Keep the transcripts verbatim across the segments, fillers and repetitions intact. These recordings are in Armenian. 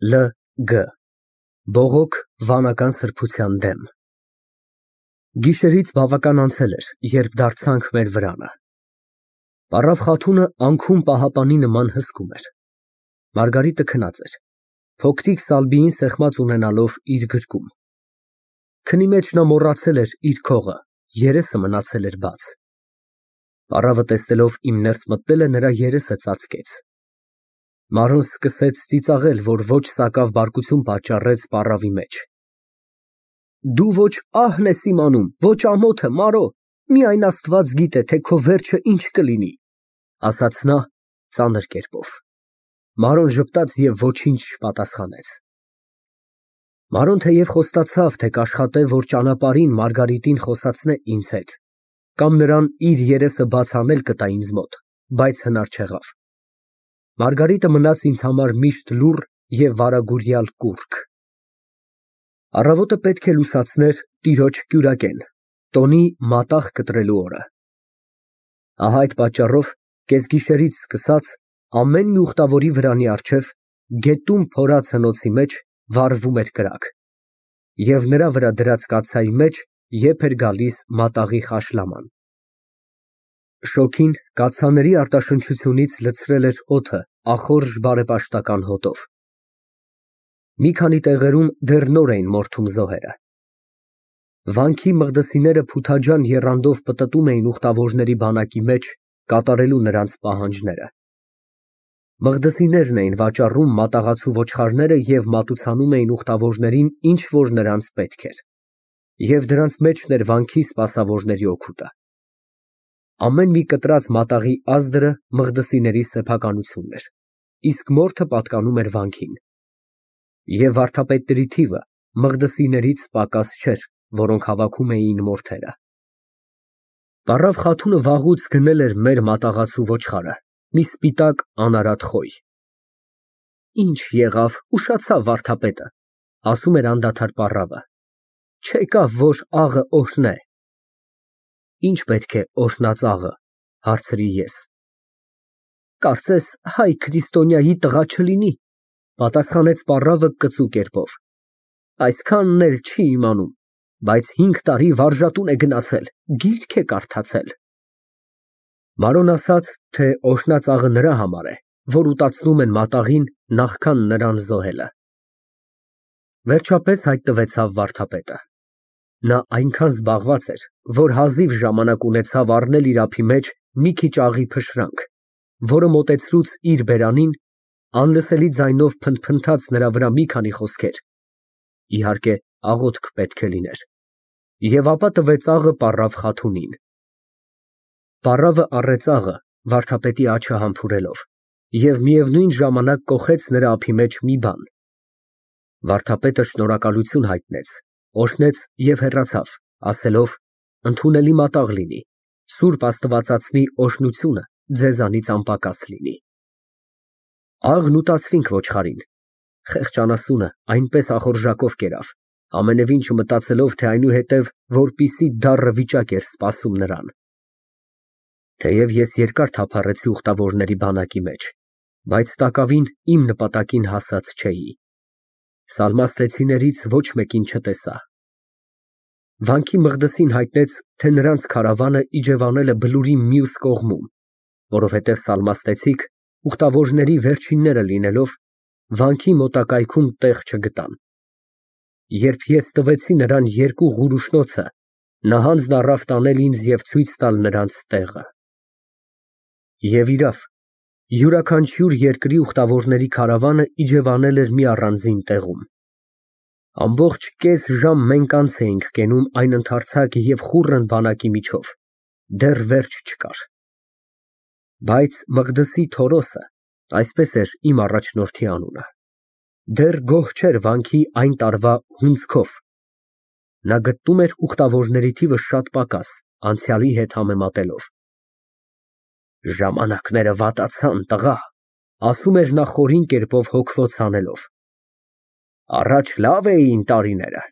L G Բողոք վանական սրբության դեմ։ Գիշերից բավական անցել էր, երբ դարձանք մեր վրանը։ Պառավ Խաթունը անքուն պահապանի նման հսկում էր։ Մարգարիտը քնած էր, փոքրիկ Սալբիին սեղմած ունենալով իր գրկում։ Քնի մեջ նա մոռացել էր իր քողը, երեսը մնացել էր բաց։ Պառավը տեսնելով իմ ներս մտնելը, նրա երեսը ծածկեց։ Մարոն սկսեց ծիծաղել, որ ոչ սակավ բարկություն պատճառեց պառավի մեջ։ Դու ոչ ահն ես իմանում, ոչ ամոթը, Մարո, միայն Աստված գիտե, թե քո վերջը ինչ կլինի, ասաց նա ծանր կերպով։ Մարոն ժպտաց և ոչինչ չպատասխանեց։ Մարոն թեև խոստացավ, թե կաշխատե, որ ճանապարհին Մարգարիտին խոսացնե ինձ հետ, կամ նրան իր երեսը բաց անել կտա ինձ մոտ, բայց հնար չեղավ։ Մարգարիտը մնաց ինձ համար միշտ լուռ և վարագուրյալ կուռք։ Առավոտը պետք է լուսացներ տիրոջ կյուրակեն, տոնի մատաղ կտրելու օրը։ Ահա այդ պատճառով կեսգիշերից սկսած ամեն մի ուխտավորի վրանի առջև, գետում փորած հնոցի մեջ վառվում էր կրակ, և նրա վրա դրած կաթսայի մեջ եփ էր գալիս մատաղի խաշլաման։ Շոգին կաթսաների արտաշնչությունից լցրել էր օդը ախորժ բարեպաշտական հոտով։ Մի քանի տեղերում դեռ նոր էին մորթում զոհերը։ Վանքի մղդսիները փութաջան եռանդով պտտում էին ուխտավորների բանակի մեջ, կատարելու նրանց պահանջները։ Մղդսիներն էին վաճառում մատաղացու ոչխարները և մատուցանում էին ուխտավորներին, ինչ որ նրանց պետք էր, և դրանց մեջն էր վանքի սպասավորների օգուտը։ Ամեն մի կտրած մատաղի ազդրը մղդսիների սեփականությունն էր, իսկ մորթը պատկանում էր վանքին։ Եվ վարդապետների թիվը մղդսիներից պակաս չէր, որոնք հավաքում էին մորթերը։ Պառավ Խաթունը վաղուց գնել էր մեր մատաղացու ոչխարը, մի սպիտակ անարատ խոյ։ Ինչ եղավ, ուշացավ վարդապետը, ասում էր անդադար պառավը, չեկավ, որ աղը օրհնե։ Ինչ պետք է օրհնած աղը, հարցրի ես։ Կարծես հայ քրիստոնյայի տղա չլինի, պատասխանեց պառավը կծու կերպով։ Այսքանն էլ չի իմանում, բայց հինգ տարի վարժատուն է գնացել, գիրք է կարդացել։ Մարոն ասաց, թե օրհնած աղը նրա համար է, որ ուտացնում են մատաղին, նախքան նրան զոհելը։ Վերջապես հայտնվեցավ վարդապետը։ Նա այնքան զբաղված էր, որ հազիվ ժամանակ ունեցավ առնել իր ափի մեջ մի քիչ աղի փշրանք, որը մոտեցրուց իր բերանին, անլսելի ձայնով փնթփնթաց նրա վրա մի քանի խոսքեր, իհարկե աղոթք պետք է լիներ, և ապա տվեց աղը պառավ Խաթունին։ Պառավը առեց աղը, վարդապետի աջը համբուրելով, և միևնույն ժամանակ կոխեց նրա ափի մեջ մի բան։ Վարդապետը շնորհակալություն հայտնեց, օրհնեց և հեռացավ, ասելով. «Ընդունելի մատաղ լինի, սուրբ Աստվածածնի օրհնությունը ձեզանից անպակաս լինի»։ Աղն ուտացրինք ոչխարին։ Խեղճ անասունը այնպես ախորժակով կերավ, ամենևին չմտածելով, թե այնուհետև որպիսի դառը վիճակ էր սպասում նրան։ Թեև ես երկար թափառեցի ուխտավորների բանակի մեջ, բայց տակավին իմ նպատակին հասած չէի։ Սալմաստեցիներից ոչ մեկին չտեսա։ Վանքի մղդսին հայտնեց, թե նրանց քարավանը իջևանել է բլուրի մյուս կողմում, որովհետև սալմաստեցիք, ուխտավորների վերջինները լինելով, վանքի մոտակայքում տեղ չգտան։ Երբ ես տվեցի նրան երկու ղուրուշնոցը, նա հանձն առավ տանել ինձ և ցույց տալ նրանց տեղը։ Եվ իրավ, յուրաքանչյուր երկրի ուխտավորների քարավանը իջևանել էր մի առանձին տեղում։ Ամբողջ կես ժամ մենք անց էինք կենում այն ընդարձակ և խուռն բանակի միջով, դեռ վերջ չկար։ Բայց Մղդսի Թորոսը, այսպես էր իմ առաջնորդի անունը, դեռ գոհ չէր վանքի այն տարվա հունձքով։ Նա գտնում էր ուխտավորների թիվը շատ պակաս, անցյալի հետ համեմատելով։ Ժամանակները վատացան, տղա, ասում էր նա խորին կերպով հոգվոց հանելով։ Առաջ լավ էին տարիները,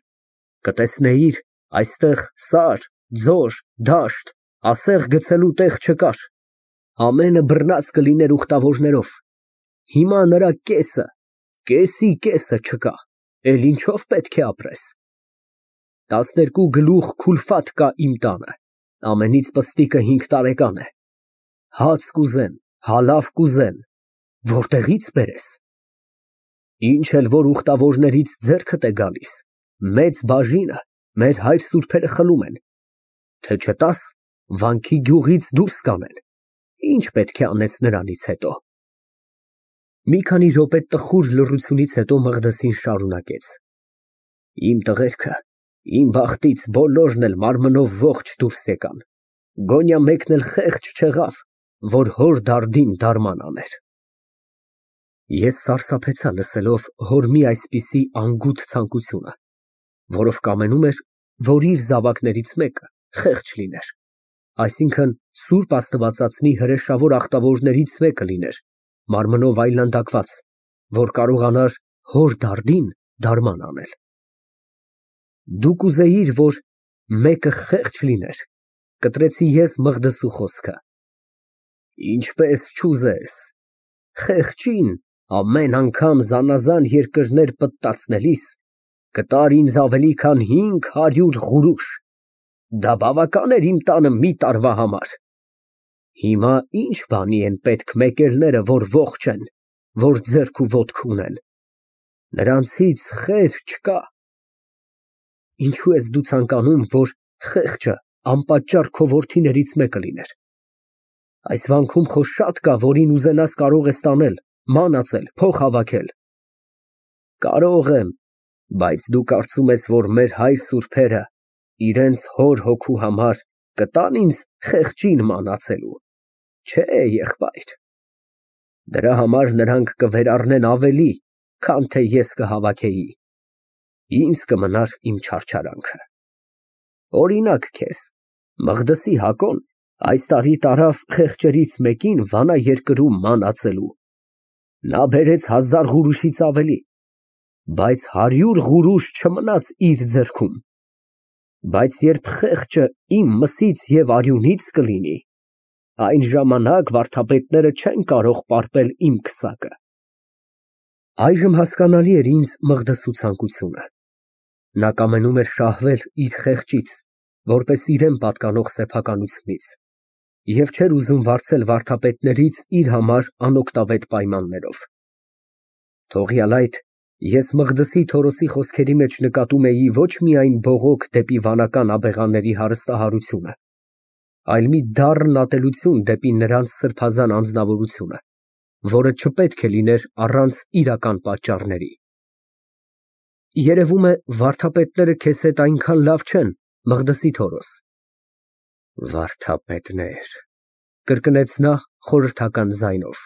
կտեսնեիր, այստեղ սար, ձոր, դաշտ, ասեղ գցելու տեղ չկար, ամենը բռնած կլիներ ուխտավորներով։ Հիմա նրա կեսը, Կեսի կեսը չկա, էլ ինչով պետք է ապրես։ Տասներկու գլուխ քուլֆատ կա իմ տանը, ամենից պստիկը հինգ տարեկան է, հաց կուզեն, հալավ կուզեն, որտեղի՞ց բերես։ Ինչ էլ որ ուխտավորներից ձեռքդ է գալիս, մեծ բաժինը մեր հայր սուրբերը խլում են, թե չտաս, վանքի գյուղից դուրս կանեն, ինչ պետք է անես նրանից հետո։ Մի քանի րոպե տխուր լռությունից հետո Մղդեսին շարունակեց. Իմ տղերքը, իմ բախտից բոլորն էլ մարմնով ողջ դուրս եկան, գոնյա մեկն էլ խեղճ չեղավ, որ հոր դարդին դարման աներ։ Ես սարսափեցա լսելով հոր մի այսպիսի անգութ ցանկությունը, որով կամենում էր, որ իր զավակներից մեկը խեղճ լիներ, այսինքն սուրբ Աստվածածնի հրեշավոր ախտավորներից մեկը լիներ, մարմնով այլանդակված, որ կարողանար հոր դարդին դարման անել։ Դու կուզեիր, որ մեկը խեղճ լիներ, կտրեցի ես Մղդեսու խոսքը։ Ինչպես չուզես, խեղճին ամեն անգամ զանազան երկրներ պտտացնելիս կտար ինձ ավելի քան հինգ հարյուր ղուրուշ, դա բավական էր իմ տանը մի տարվա համար։ Հիմա ինչ բանի են պետք մեկելները, որ ողջ են, որ ձեռք ու ոտք ունեն, նրանցից խեր չկա։ Ինչո՞ւ ես դու ցանկանում, որ խեղճը անպատճառ քո որդիներից մեկը լիներ։ Այս վանքում խո շատ կա, որին ուզենաս կարող ես տանել, մանածել, փող հավաքել։ Կարող եմ, բայց դու կարծում ես, որ մեր հայր սուրբերը իրենց հոր հոգու համար կտան ինձ խեղճին մանածելու։ Չէ, եղբայր, դրա համար նրանք կվերառնեն ավելի, քան թե ես կհավաքեի, ինձ կմնար իմ չարչարանքը։ Օրինակ քեզ, Մղդեսի Հակոն այս տարի տարավ խեղճերից մեկին Վանա երկրում մանածելու, նա բերեց հազար ղուրուշից ավելի, բայց հարյուր ղուրուշ չմնաց իր ձեռքում, բայց երբ խեղճը իմ մսից և արյունից կլինի, այն ժամանակ վարդապետները չեն կարող պարպել իմ քսակը։ Այժմ հասկանալի էր ինձ Մղդեսու ցանկությունը։ Նա կամենում էր շահվել իր խեղճից, որպես իրան պատկանող սեփականությունից, և չէր ուզում վարձել վարդապետներից իր համար անօգտավետ պայմաններով։ Թողյալ այդ, ես Մղդեսի Թորոսի խոսքերի մեջ նկատում էի ոչ միայն բողոք դեպի վանական աբեղաների հարստահարությունը, այլ մի դառն ատելություն դեպի նրանց սրբազան անձնավորությունը, որը չպետք է լիներ առանց իրական պատճառների։ Երևում է, վարդապետները քեզ հետ այնքան լավ չեն, Մղդեսի Թորոս։ Վարդապետներ, կրկնեց նա խորհրդական ձայնով։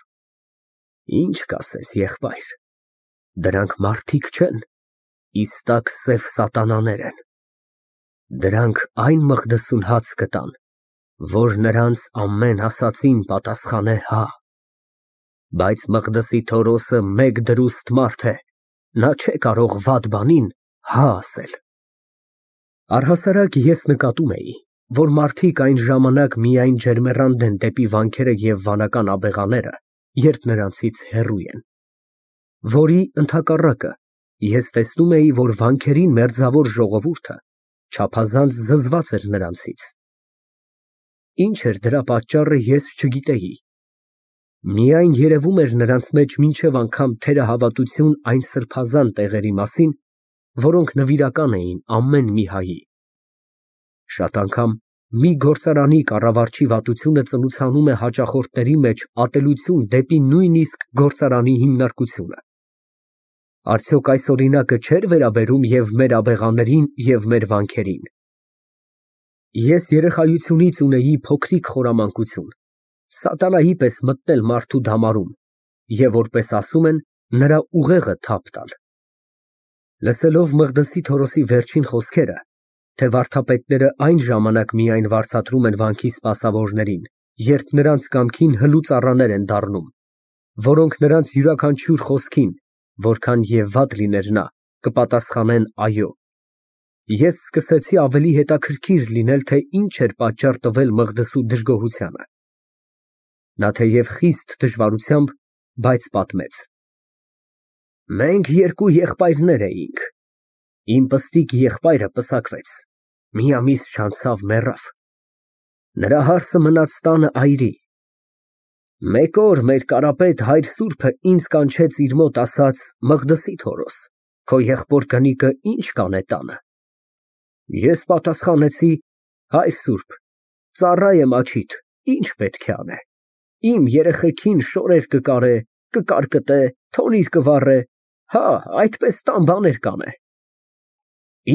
Ինչ կասես, եղբայր, դրանք մարդիկ չեն, իստակ սև սատանաներ են։ Դրանք այն Մղդեսուն հաց կտան, որ նրանց ամեն ասածին պատասխանե հա։ Բայց Մղդեսի Թորոսը մեկ դրուստ մարդ է, նա չէ կարող վատ բանին հա ասել։ Առհասարակ ես նկատում էի, որ մարդիկ այն ժամանակ միայն ջերմեռանդ են դեպի վանքերը և վանական աբեղաները, երբ նրանցից հեռու են, որի ընդհակառակը, ես տեսնում էի, որ վանքերին մերձավոր ժողովուրդը չափազանց զզված էր նրանցից։ Ինչ էր դրա պատճառը, ես չգիտեի։ Միայն երևում էր նրանց մեջ մինչև անգամ թերահավատություն այն սրբազան տեղերի մասին, որոնք նվիրական էին ամեն մի հայի։ Շատ անգամ մի գործարանի կառավարչի վատությունը ծնուցանում է հաճախորդների մեջ ատելություն դեպի նույնիսկ գործարանի հիմնարկությունը։ Արդյոք այս օրինակը չէր վերաբերում և մեր աբեղաներին և մեր վանքերին։ Ես երեխայությունից ունեի փոքրիկ խորամանկություն, սատանայի պես մտնել մարդու դամարում և, որպես ասում են, նրա ուղեղը թափ տալ։ Լսելով Մղդեսի Թորոսի վերջին խոսքերը, թե վարդապետները այն ժամանակ միայն վարձատրում են վանքի սպասավորներին, երբ նրանց կամքին հլուծառաներ են դառնում, որոնք նրանց յուրաքանչյուր խոսքին, որքան և վատ լիներ նա, կպատասխանեն այո, ես սկսեցի ավելի հետաքրքիր լինել, թե ինչ էր պատճառ տվել Մղդեսու դժգոհությանը։ Նա թեև խիստ դժվարությամբ, բայց պատմեց։ Մենք երկու եղբայրներ էինք։ Իմ պստիկ եղբայրը պսակվեց, մի ամիս չանցավ մեռավ։ Նրա հարսը մնաց տանը այրի։ Մեկ օր մեր կարապետ հայր սուրբը ինձ կանչեց իր մոտ, ասաց. Մղդսի Թորոս, քո եղբոր կնիկը ինչ կանե տանը։ Ես պատասխանեցի. հայր սուրբ, ծառա եմ աչիդ, ինչ պետք է անե։ Իմ երեխեքին շորեր կկարե, կկարկտե, թոնիր կվառե, հա, այդպես տան բաներ կանե։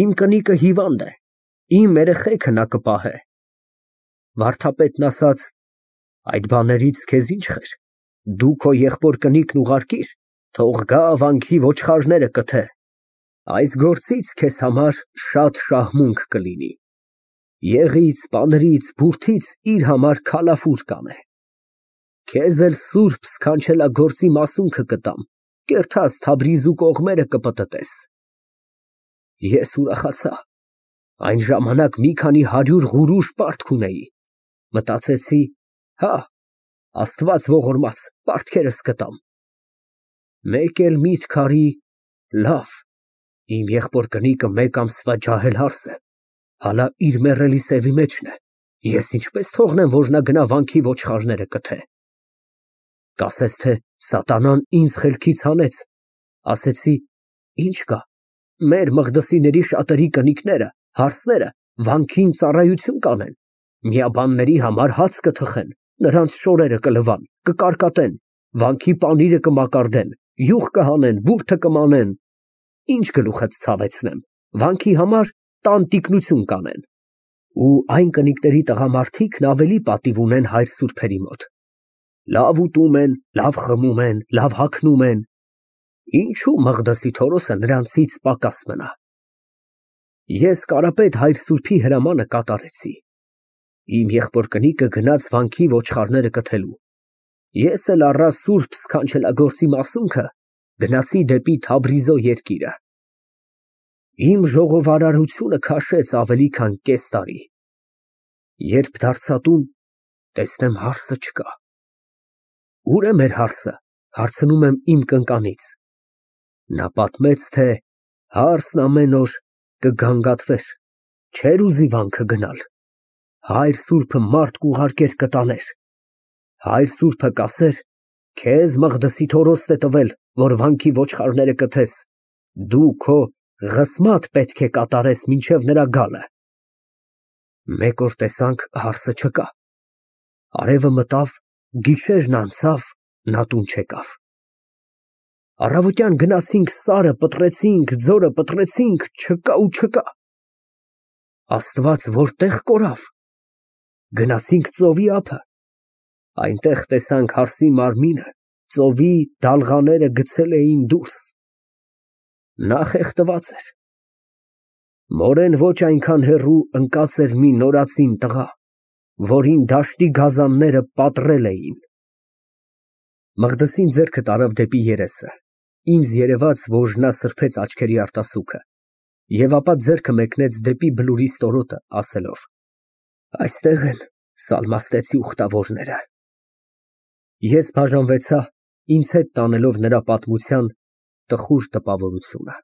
Իմ կնիկը հիվանդ է, իմ երեխեքը նա կպահե։ Վարդապետն ասաց. այդ բաներից քեզ ինչ խեր, դու քո եղբոր կնիկն ուղարկիր, թող գա վանքի ոչխարները կթե, այս գործից քեզ համար շատ շահմունք կլինի, եղից, պանրից, բուրդից իր համար քալաֆուր կանե, քեզ էլ սուրբ սքանչելագործի մասունքը կտամ, կերթած Թաբրիզու կողմերը կպտտես։ Ես ուրախացա, այն ժամանակ մի քանի հարյուր ղուրուշ պարտք ունեի, մտածեցի. հա, Աստված ողորմած, պարտքերս կտամ։ Մեկ էլ միտք արի, լավ, իմ եղբոր կնիկը մեկ ամսվա ջահել հարս է, հալա իր մեռելի սևի մեջն է, ես ինչպես թողնեմ, որ նա գնա վանքի ոչխարները կթե։ Կասես, թե սատանան ինձ խելքից հանեց, ասեցի. ինչ կա, մեր Մղդսիների շատերի կնիկները, հարսները վանքին ծառայություն կանեն, միաբանների համար հաց կթխեն, նրանց շորերը կլվան, կկարկատեն, վանքի պանիրը կմակարդեն, յուղ կհանեն, բուրդը կմանեն, ինչ գլուխդ ցավեցնեմ, վանքի համար տան տիկնություն կանեն։ Ու այն կնիկների տղամարդիկն ավելի պատիվ ունեն հայր սուրբերի մոտ, լավ ուտում են, լավ խմում են, լավ հագնում են, ինչու Մղդսի Թորոսը նրանցից պակաս մնա։ Ես կարապետ հայր սուրբի հրամանը կատարեցի, իմ եղբոր կնիկը գնաց վանքի ոչխարները կթելու, ես էլ առա սուրբ սքանչելագործի մասունքը, գնացի դեպի Թաբրիզո երկիրը։ Իմ ժողովարարությունը քաշեց ավելի քան կես տարի, երբ դարձա տուն, տեսնեմ հարսը չկա։ Ուր է մեր հարսը, հարցնում եմ իմ կնկանից։ Նա պատմեց, թե հարսն ամեն օր կգանգատվեր, չէր ուզի վանքը գնալ, հայր սուրբը մարդ կուղարկեր կտաներ, հայր սուրբը կասեր. քեզ Մղդսի Թորոսն է տվել, որ վանքի ոչխարները կթես, դու քո ղսմատ պետք է կատարես մինչև նրա գալը։ Մեկ օր տեսանք հարսը չկա, արևը մտավ, գիշերն անցավ, նա տուն չեկավ։ Առավոտյան գնացինք սարը պտրեցինք, ձորը պտրեցինք, չկա ու չկա։ Աստված որտեղ կորավ։ Գնացինք ծովի ափը, այնտեղ տեսանք հարսի մարմինը, ծովի դալղաները գցել էին դուրս։ Նա խեղդված էր։ Մորեն ոչ այնքան հեռու ընկած էր մի նորածին տղա, որին դաշտի գազանները պատռել էին։ Մղդսին ձեռքը տարավ դեպի երեսը, ինձ երևաց, որ նա սրբեց աչքերի արտասուքը, և ապա ձեռքը մեկնեց դեպի բլուրի ստորոտը, ասելով. այստեղ են սալմաստեցի ուխտավորները։ Ես բաժանվեցա, ինձ հետ տանելով նրա պատմության տխուր տպավորությունը։